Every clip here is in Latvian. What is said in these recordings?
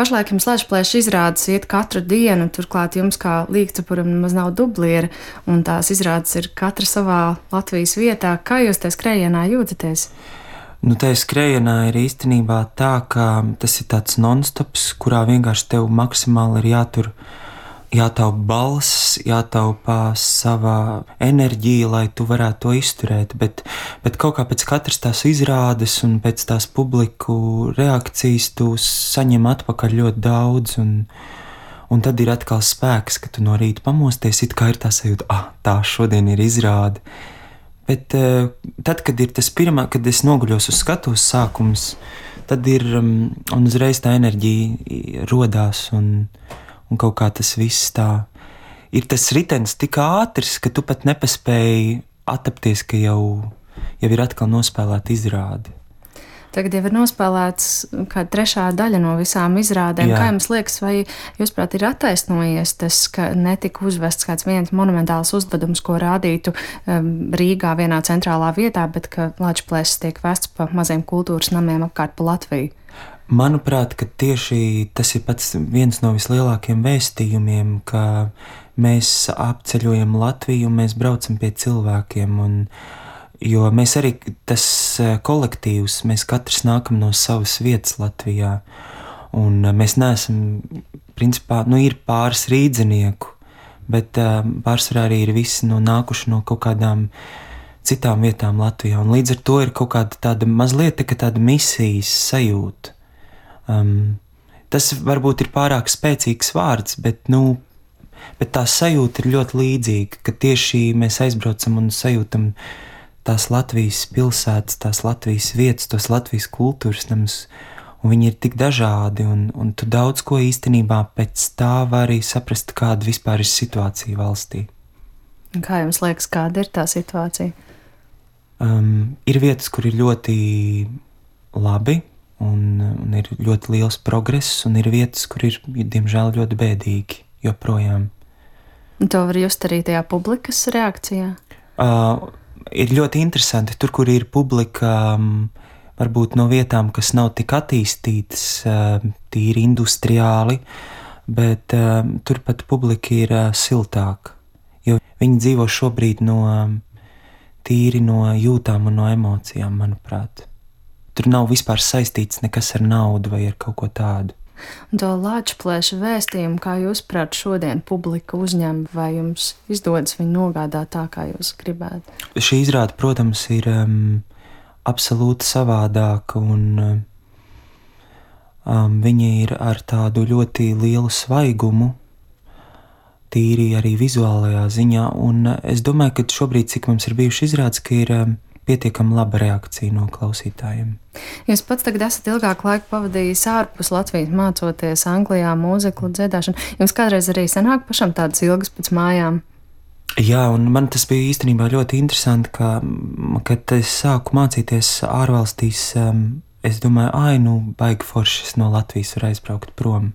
Pašlaik jums Latvijas izrādes iet katru dienu, turklāt jums kā līgcapuram nemaz nav dubliera, un tās izrādes ir katra savā Latvijas vietā. Kā jūs tajā skrējienā jūtaties? Nu, tajā skrējienā ir īstenībā tā, ka tas ir tāds non-stops, kurā vienkārši tev maksimāli ir jātaupa balss, jātaupa sava enerģija, lai tu varētu to izturēt. Bet kaut kā pēc katras tās izrādes un pēc tās publiku reakcijas tu saņem atpakaļ ļoti daudz. Un tad ir atkal spēks, ka tu no rīta pamosties, it kā ir tā sajūta, tā šodien ir izrāde. Bet tad, kad ir tas pirmā, kad es noguļos uz skatuves sākums, tad ir un uzreiz tā enerģija rodās un kaut kā tas viss tā ir tas ritenis tik ātrs, ka tu pat nepaspēji attapties, ka jau ir atkal nospēlēta izrāde. Tagad jau ir nospēlēts kāda trešā daļa no visām izrādēm. Jā. Kā jums liekas, vai jūsuprāt ir attaisnojies tas, ka netika uzvests kāds viens monumentāls uzvedums, ko rādītu Rīgā vienā centrālā vietā, bet ka Latvijas tiek vests pa maziem kultūras namiem apkārt pa Latviju? Manuprāt, ka tieši tas ir pats viens no vislielākajiem vēstījumiem, ka mēs apceļojam Latviju un mēs braucam pie cilvēkiem. Jo mēs arī tas kolektīvs, mēs katrs nākam no savas vietas Latvijā. Un mēs neesam, principā, ir pāris rīdzinieku, bet pārsvarā arī ir visi nākuši no kaut kādām citām vietām Latvijā. Un līdz ar to ir kaut kāda tāda mazliet tāda misijas sajūta. Tas varbūt ir pārāk spēcīgs vārds, bet tā sajūta ir ļoti līdzīga, ka tieši mēs aizbraucam un sajūtam tās Latvijas pilsētas, tās Latvijas vietas, tos Latvijas kultūras namus, un viņi ir tik dažādi, un tu daudz ko īstenībā pēc tā vari saprast, kāda vispār ir situācija valstī. Kā jums liekas, kāda ir tā situācija? Ir vietas, kur ir ļoti labi, un ir ļoti liels progress, un ir vietas, kur ir, diemžēl, ļoti bēdīgi joprojām. Un to var just arī tajā publikas reakcijā? Ir ļoti interesanti, tur, kur ir publika, varbūt no vietām, kas nav tik attīstītas, tīri industriāli, bet turpat publika ir siltāka, jo viņi dzīvo šobrīd tīri no jūtām un no emocijām, manuprāt. Tur nav vispār saistīts nekas ar naudu vai ar kaut ko tādu. Un to Latvijas vēstījumu, kā jūs prāt šodien publika uzņem, vai jums izdodas viņu nogādāt tā, kā jūs gribētu? Šī izrāde, protams, ir absolūti savādāka, un viņa ir ar tādu ļoti lielu svaigumu, tīri arī vizuālajā ziņā, un es domāju, ka šobrīd, cik mums ir bijuši izrādes, ka ir pietiekami laba reakcija no klausītājiem. Jūs pats tagad esat ilgāku laiku pavadījis ārpus Latvijas, mācoties Anglijā mūziklu dziedāšanu. Jums kādreiz arī sanāk pašam tādas ilgas pēc mājām? Jā, un man tas bija īstenībā ļoti interesanti, kad es sāku mācīties ārvalstīs, es domāju, baigi forši no Latvijas var aizbraukt prom.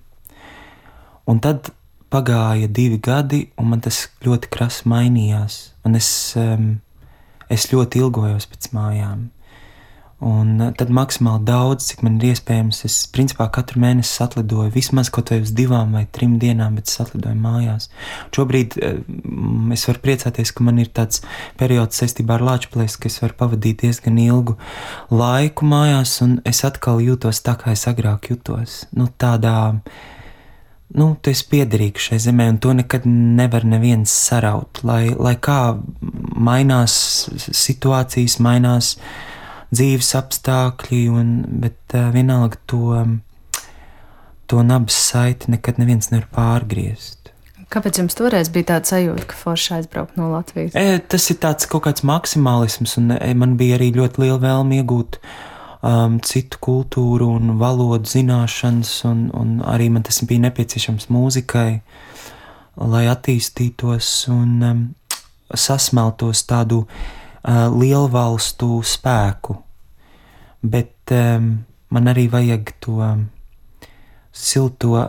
Un tad pagāja 2 gadi, un man tas ļoti krasi mainījās, un es ļoti ilgojos pēc mājām. Un tad maksimāli daudz, cik man ir iespējams, es principā katru mēnesi atlidoju vismaz kaut vai uz 2 vai 3 dienām, bet es atlidoju mājās. Šobrīd es varu priecāties, ka man ir tāds periods saistībā ar Latvijas, ka es varu pavadīt diezgan ilgu laiku mājās, un es atkal jūtos tā, kā es agrāk jutos. Tu esi piederīgs šai zemē, un to nekad nevar neviens saraut. Lai kā mainās situācijas, mainās dzīves apstākļi, bet vienalga to nabas saiti nekad neviens nevar pārgriezt. Kāpēc jums toreiz bija tāda sajūta, ka forši aizbraukt no Latvijas? Tas ir tāds kaut kāds maksimālisms, un man bija arī ļoti liela vēlme iegūt citu kultūru un valodu zināšanas, un arī man tas bija nepieciešams mūzikai, lai attīstītos un sasmeltos tādu lielvalstu spēku. Bet man arī vajag to silto,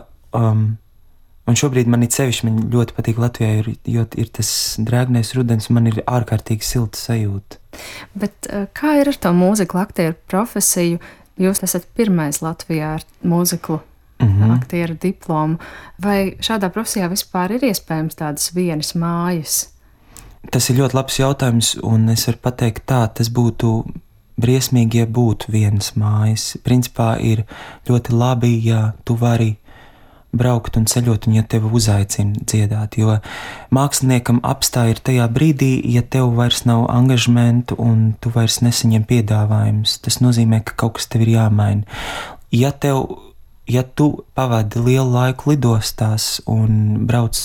un šobrīd man ļoti patīk Latvijā, jo ir tas drēgnais rudens, un man ir ārkārtīgi silta sajūta. Bet kā ir ar to mūziklu aktieru profesiju? Jūs esat pirmais Latvijā ar mūziklu aktieru diplomu. Vai šādā profesijā vispār ir iespējams tādas vienas mājas? Tas ir ļoti labs jautājums, un es varu pateikt tā, tas būtu briesmīgi, ja būtu vienas mājas. Principā ir ļoti labi, ja tu vari braukt un ceļot, un ja tevi uzaicina dziedāt, jo māksliniekam apstāja ir tajā brīdī, ja tev vairs nav angažmentu un tu vairs nesaņem piedāvājumus. Tas nozīmē, ka kaut kas tev ir jāmaina. Ja tu pavadi lielu laiku lidostās un brauc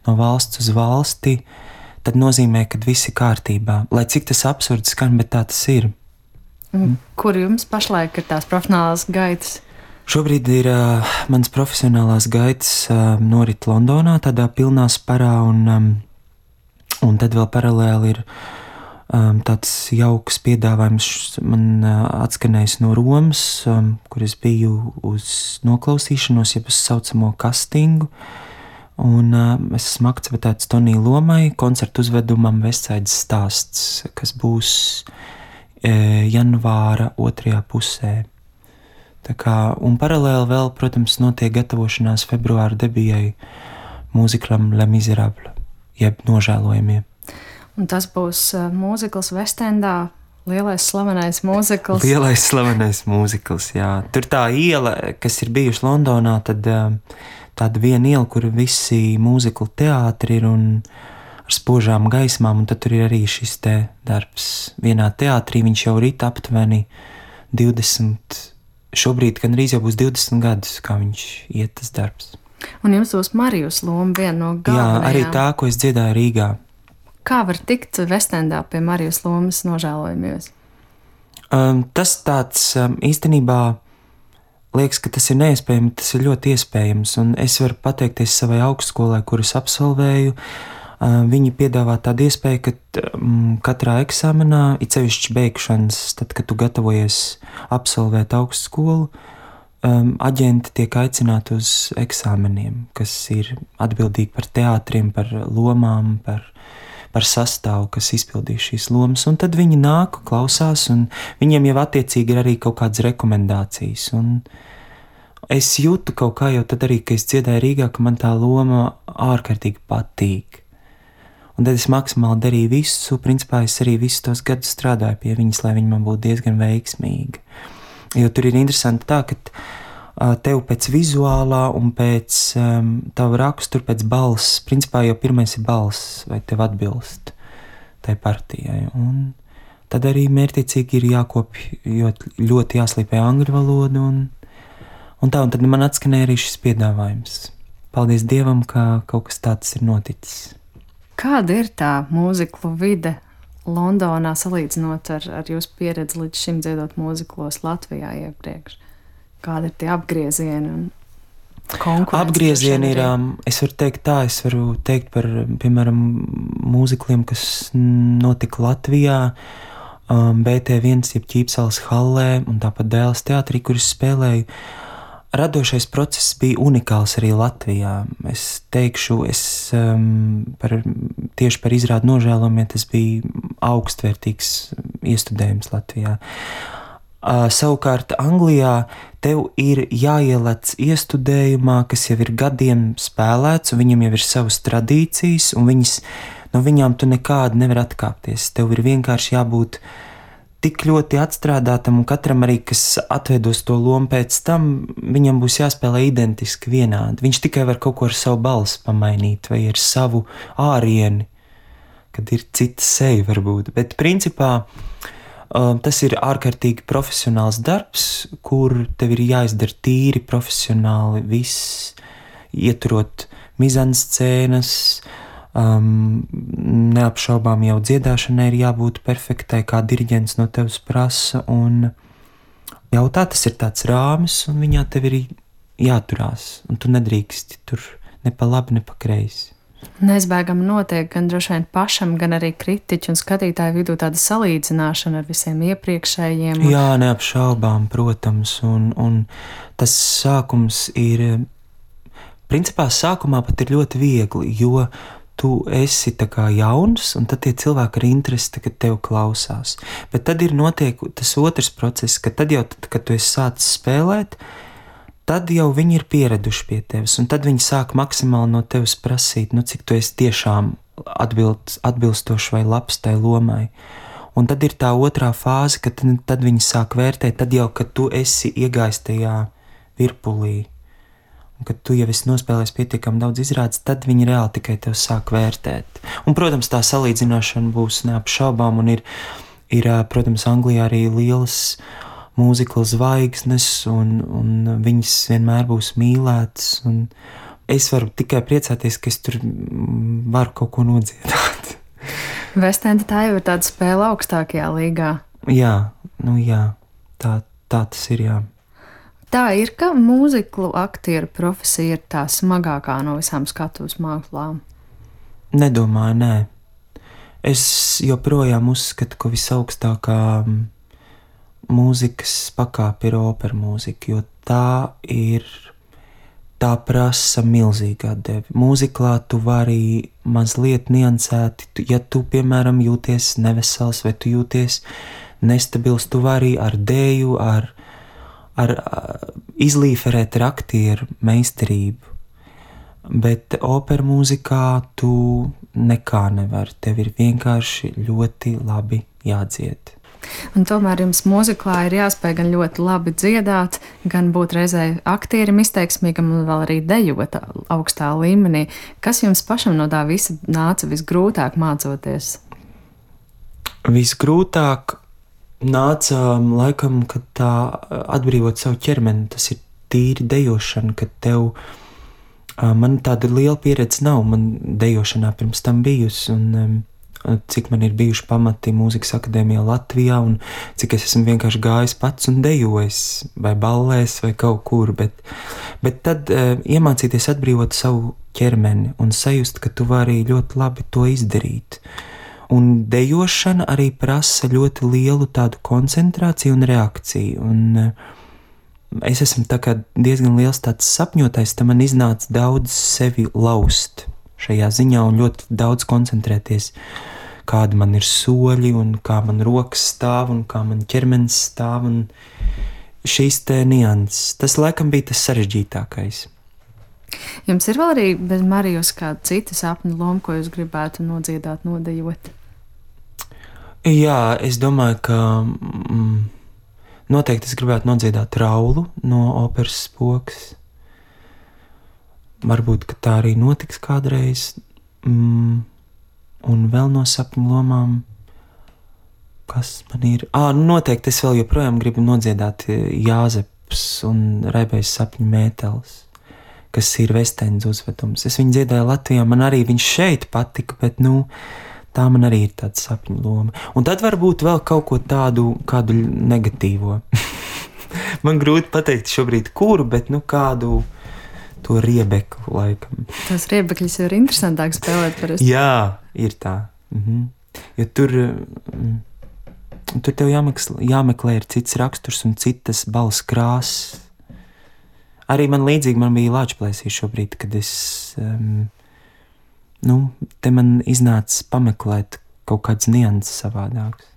no valsts uz valsti, tad nozīmē, ka viss ir kārtībā. Lai cik tas absurds skan, bet tā tas ir. Kur jums pašlaik ir tās profesionālās gaitas? Šobrīd ir mans profesionālās gaitas norit Londonā, tādā pilnā sparā, un tad vēl paralēli ir tāds jauks piedāvājums man atskanējis no Romas, kur es biju uz noklausīšanos, jeb uz saucamo kastingu. Un es esmu akceptēts Tonija lomai, koncertu uzvedumam Vestsaidas stāsts, kas būs janvāra 2. pusē. Tā kā, un paralēli vēl, protams, notiek gatavošanās februāra debijai mūziklam Le Miserable, jeb Nožēlojamie. Un tas būs mūzikls Vestendā, lielais slavenais mūzikls. Lielais slavenais mūzikls, jā. Tur tā iela, kas ir bijuši Londonā, tad tāda viena iela, kur visi mūziklu teātri ir un ar spožām gaismām, un tad tur ir arī šis te darbs. Vienā teātrī viņš jau rīt aptuveni 20, šobrīd gan arī jau būs 20 gadus, kā viņš iet tas darbs. Un jums būs Marijus loma viena no galvenajām. Jā, arī tā, ko es dziedāju Rīgā. Kā var tikt Vestendā pie Marijus lomas Nožēlojamies? Tas tāds īstenībā liekas, ka tas ir neiespējami, tas ir ļoti iespējams, un es varu pateikties savai augstskolai, kuras absolvēju. Viņi piedāvā tādu iespēju, ka katrā eksāmenā, it sevišķi beigšanas, tad, kad tu gatavojies absolvēt augstskolu, aģenti tiek aicināti uz eksāmeniem, kas ir atbildīgi par teātriem, par lomām, par sastāvu, kas izpildīs šīs lomas, un tad viņi nāk, klausās, un viņiem jau attiecīgi ir arī kaut kādas rekomendācijas, un es jūtu kaut kā jau tad arī, ka es dziedāju Rīgā, ka man tā loma ārkārtīgi patīk. Un tad es maksimāli darīju visu, principā es arī visus tos gadus strādāju pie viņas, lai viņa man būtu diezgan veiksmīga. Jo tur ir interesanti tā, ka tev pēc vizuālā un pēc tava rakstura, pēc balss, principā jau pirmais ir balss, vai tev atbilst tai partijai. Un tad arī mērķiecīgi ir jākopj, jo ļoti jāslīpē angļu valodu, un tad man atskanēja arī šis piedāvājums. Paldies Dievam, ka kaut kas tāds ir noticis. Kāda ir tā mūziklu vide Londonā salīdzinot ar jūsu pieredzi līdz šim dziedot mūziklos Latvijā iepriekš? Kāda ir tie apgriezieni un konkurence? Apgriezieni ir, es varu teikt par, piemēram, mūzikliem, kas notika Latvijā, BT1, jeb Ķīpsalas hallē, un tāpat Dēles teātrī, kur es spēlēju. Radošais process bija unikāls arī Latvijā. Es teikšu, tieši par izrādi Nožēlojamie, tas bija augstvērtīgs iestudējums Latvijā. Savukārt Anglijā tev ir jāielec iestudējumā, kas jau ir gadiem spēlēts, un viņam jau ir savas tradīcijas, un no viņām tu nekādi nevar atkāpties. Tev ir vienkārši jābūt tik ļoti atstrādātam, un katram arī, kas atveidos to lomu pēc tam, viņam būs jāspēlē identiski vienādi. Viņš tikai var kaut ko ar savu balsi pamainīt, vai ar savu ārieni, kad ir cita seja varbūt. Bet principā tas ir ārkārtīgi profesionāls darbs, kur tev ir jāizdara tīri profesionāli viss, ieturot mizanscēnas, neapšaubām jau dziedāšanai ir jābūt perfektai, kā diriģents no tevis prasa, un jau tas ir tāds rāmis, un viņā tev ir jāturās, un tu nedrīksti tur ne pa labi, ne pa kreisi. Neizbēgami notiek gan droši vien pašam, gan arī kritiķu un skatītāju vidū tāda salīdzināšana ar visiem iepriekšējiem. Jā, neapšaubām, protams, un tas sākums ir, principā sākumā pat ir ļoti viegli, jo tu esi tā kā jauns, un tad tie cilvēki ar interesi tagad tev klausās. Bet tad ir notiek tas otrs process, ka tad jau, kad tu esi sācis spēlēt, tad jau viņi ir pieraduši pie tevis, un tad viņi sāk maksimāli no tevis prasīt, nu, cik tu esi tiešām atbilstoši vai labs tai lomai. Un tad ir tā otrā fāze, kad tad viņi sāk vērtēt, tad jau, kad tu esi iegājis tajā virpulī, un kad tu jau esi nospēlējis pietiekami daudz izrādes, tad viņi reāli tikai tev sāk vērtēt. Un, protams, tā salīdzināšana būs neapšaubām, un ir, protams, Anglijā arī lielas mūzikla zvaigznes, un viņas vienmēr būs mīlētas, un es varu tikai priecāties, ka es tur varu kaut ko nodziedāt. Vestenda tā jau ir tāda spēle augstākajā līgā. Jā, tā tas ir, jā. Tā ir, ka mūziklu aktieru profesija ir tā smagākā no visām skatuves mākslām. Nedomāju, nē. Es joprojām uzskatu, ka visaugstākā mūzikas pakāpe ir opera mūzika, jo tā prasa milzīgu atdevi. Mūziklā tu vari mazliet niansēti, ja tu, piemēram, jūties nevesels vai tu jūties nestabils, tu vari ar dēju, ar izlīferēt ar aktieru meistarību. Bet opera mūzikā tu nekā nevari, tev ir vienkārši ļoti labi jādzied. Un tomēr jums mūziklā ir jāspēj gan ļoti labi dziedāt, gan būt reizē aktierim izteiksmīgam un vēl arī dejot augstā līmenī. Kas jums pašam no tā visa nāca visgrūtāk mācoties? Visgrūtāk nāca laikam, kad tā atbrīvot savu ķermeni, tas ir tīri dejošana, kad tev, man tāda liela pieredze nav, man dejošanā pirms tam bijusi, un cik man ir bijuši pamati mūzikas akadēmijā Latvijā, un cik es esmu vienkārši gājis pats un dejojis, vai ballēs, vai kaut kur, bet tad iemācīties atbrīvot savu ķermeni un sajust, ka tu vari ļoti labi to izdarīt. Un dejošana arī prasa ļoti lielu tādu koncentrāciju un reakciju, un es esmu tā kā diezgan liels tāds sapņotājs, tad man iznāca daudz sevi laust šajā ziņā un ļoti daudz koncentrēties, kādi man ir soļi un kā man rokas stāv un kā man ķermenis stāv un šīs te nianses. Tas laikam bija tas sarežģītākais. Jums ir vēl arī bez Marijas kāda cita sapņu loma, ko jūs gribētu nodziedāt, nodejot? Jā, es domāju, ka noteikti es gribētu nodziedāt Raulu no operas Spoks. Varbūt, ka tā arī notiks kādreiz. Un vēl no sapņu lomām, kas man ir? Noteikti es vēl joprojām gribu nodziedāt Jāzeps un Raibais sapņu mētelis, kas ir Vestendas uzvedums. Es viņu dziedāju Latvijā, man arī viņš šeit patika, bet, tā man arī ir tāda sapņu loma. Un tad varbūt vēl kaut ko kādu negatīvo. Man grūti pateikt šobrīd kuru, bet, kādu to riebeklu laikam. Tas riebekļus jau ir interesantāk spēlēt parasti. Jā, ir tā. Jo tur tev jāmeklē ir cits raksturs un citas balss krāsas. Arī man līdzīgi man bija Lāčplēsī šobrīd, kad es, te man iznāca pameklēt kaut kāds nianses savādāks.